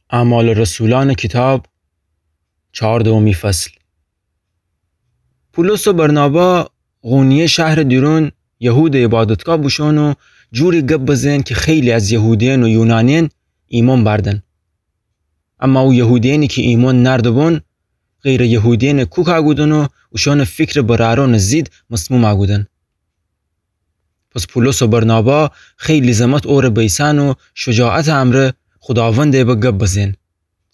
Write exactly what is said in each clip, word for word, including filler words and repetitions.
اعمال رسولان کیتاب، چهاردهمی فصل. پولس و برنابا قونیه شهرٚ دیرون یهودٚ عیبادتگاه بوشون و جوری گب بزئن کی خیلی از یهودیئن و یونانیئن ایمأن بأردن. اما او یهودیئنی کی ایمأن نأرده‌بون، غیرٚ یهودیئن کوکا کودن و اوشأنٚ فیکرٚ برأرأنٚ زید مسموما کودن. پس پولس و برنابا خیلی زمت اوره بیسأن و شجاعتٚ امرأ خوداوندٚ به گب بزئن.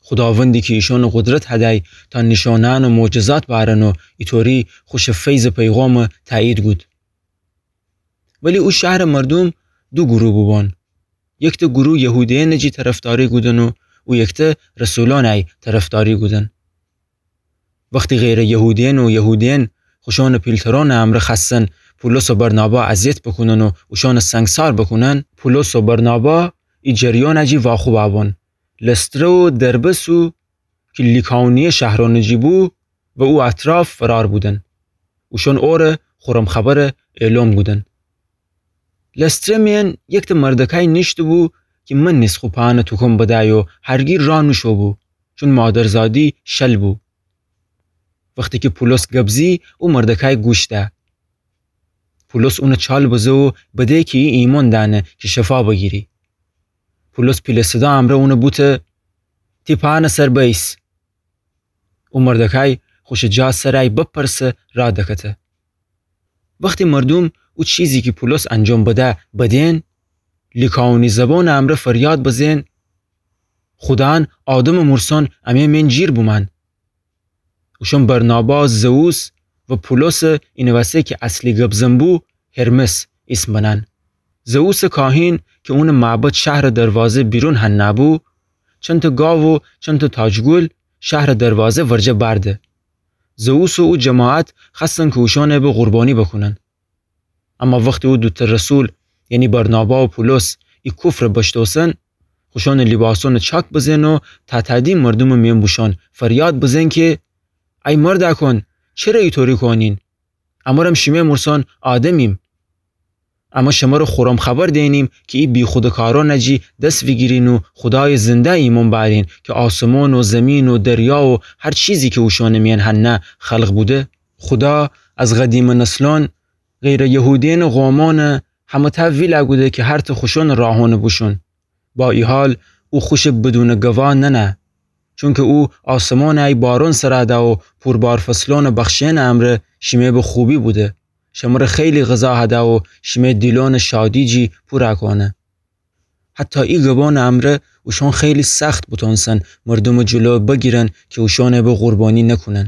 خوداوندی کی ایشأنٚ قدرت هدی تا نیشأنه‌یأن و معجزات بأرن و ایطوری خوشٚ فیضٚ پیغامٚ تأیید کود. ولی او شهرٚ مردوم دو گروه بوبون. یکته گروه یهودیئنٚ جی طرفداری کودن و او یکته رسولأنٚ طرفداری کودن. وختی غیرٚ یهودیئن و یهودیئن خوشأنٚ پیلترأنٚ امرأ خوأستن پولس و برنابا اذیت بوکونن و اوشأنٚ سنگسار بوکونن، پولس و برنابا ای جریانٚ جی واخوبأ بون. لستره و دربه سو کی لیکاونیه شهرأنٚ جی بو و او اطراف فرار بودن. اوشأن اوره خورم خبر اعلام کودن. لستره میأن یکته مردکای نیشته‌بو کی من نیز خو په‌أنٚ توکم بدی و هرگی راه نوشو بو، چون مادرزادی شل بو. وختی کی پولس گب زی، او مردکای گوش ده. پولس اونٚ چال بزه و بده کی ای ایمأن دأنه کی شفا بگیری. پولس پیله صدا امرأ اونٚ بوته: «تی په‌أنٚ سر بیس.» او مردکای خوشٚ جا سرای بپرسه راه دکته. وختی مردوم او چیزی کی پولس انجام بده بدئن، لیکاونی زبانٚ امرأ فریاد بزئن: «خودأن آدمٚ مورسأن امه میأن جیر بومأن.» اوشأن برنابا زئوس و پولسٚ، اینٚ وسه کی اصلی گبزن بو، هرمس ایسم بنأن. زئوسٚ کاهین کی اونٚ معبد شهرٚ دروازه بیرون هنه بو، چنته گاو و چنته تاجگل شهرٚ دروازه ورجه بأرده. زئوس و او جماعت خوأستن کی اوشأنٚ به قربانی بوکونن. اما وختی او دوته رسول، یعنی برنابا و پولس، ای کفر بشتوسن، خوشأنٚ لیباسأنٚ چاک بزئن و تاتادی مردومٚ میأن بوشون فریاد بزئن کی: «ای مردأکون، چره ایطوری کونین؟ امرم شیمه مورسأن آدمیم. امه شمره خورم خبر دئنیم کی ای بیخوده کارأنٚ جی دس ویگیرین و خودایٚ زنده ایمأن بأرین کی آسمون و زمین و دریا و هر چیزی کی اوشأنٚ میأن هنه خلق بوده. خودا از قدیمٚ نسلأن غیرٚ یهودیأنٚ قومأنٚ همه‌تأ ویله کوده کی هرته خوشأنٚ راهأنٚ بوشون. با ای حال او خوشٚ بدونٚ گوا ننه، چونکی او آسمانٚ ای بارون سرا ده و پوربار فصلأنٚ بخشئنٚ امرأ شیمه به خوبی بوده. شمره خیلی غذا هده و شیمه دیلأنٚ شادی جی پورا کونه. حتی ای گبأنٚ امرأ اوشأن خیلی سخت بوتونستن مردومٚ جلو بگیرن کی اوشأنٚ به قربانی نکونن.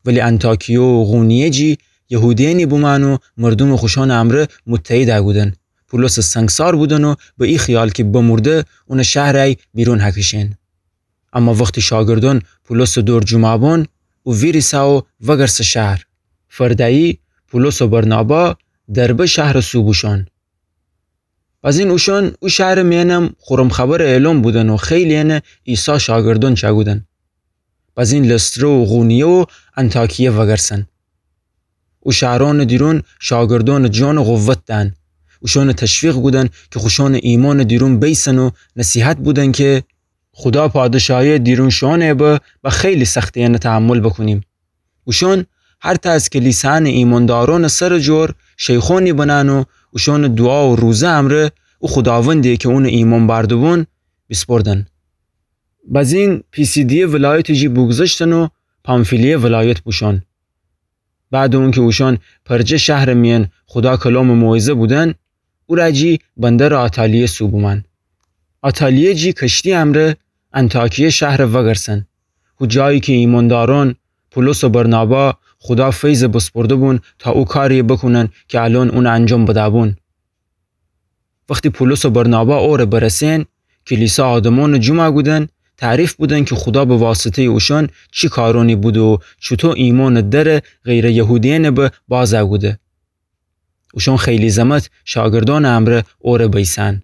ولی انطاکیه و قونیه جی یهودیأنی بومأن و مردومٚ خوشأنٚ امرأ متحد کودن. پولسٚ سنگسار بودن و به ای خیال کی بمرده اونٚ شهرٚ ای بیرون هکشین. اما وختی شاگردأن پولسٚ دور جمعه بون، او ویریسه و وگرسه شهر. فرده‌یی پولس و برنابا دربه شهرٚ سو بوشون. بزین اوشأن او شهرٚ میأنم خورم خبر اعلام بودن و خیلی‌یأنه عیسی شاگردأن چأکودن. بزین لستره و قونیه و انطاکیه وگرسن. او شهرأنٚ دیرون شاگردأنٚ جانٚ قوت دأن. اوشأنٚ تشویق کودن کی خوشأنٚ ایمأنٚ دیرون بیسن و نصیحت بودن کی خودا پادشاهی‌یٚ دیرون شوئونٚ به با خیلی سختی‌یأن تحمل بوکونیم. اوشأن هر تأ از کلیسایأنٚ ایمأندارأنٚ سرٚ جور شیخونی بنأن و اوشأنٚ دوعا و روزه امرأ او خوداوندی کی اونٚ ایمأن بأرده‌بون بیسپردن. بزین پیسیدیه ولایتٚ جی بوگذشتن و پامفیلیه ولایت بوشون. بعدٚ اونکی اوشأن پرجه شهرٚ میأن خودا کلامٚ موعظه بودن، او ره جی بندرٚ آتالیه سو بومأن. آتالیه جی کشتی امرأ انطاکیه شهر وگرسن. هو جایی کی ایمأندارأن پولس و برنابا خودا فیض بسپرده‌بون تا او کاری بوکونن کی الأن اون انجام بده‌بون. وختی پولس و برنابا اوره برسئن، کلیسا آدمأنٚ جمع کودن، تعریف بودن کی خودا به واسطه‌یٚ اوشأن چی کارأنی بوده و چوطو ایمأنٚ درٚ غیرٚ یهودیأنٚ به باز کوده. اوشأن خیلی زمت شاگردأنٚ امرأ اوره بیسأن.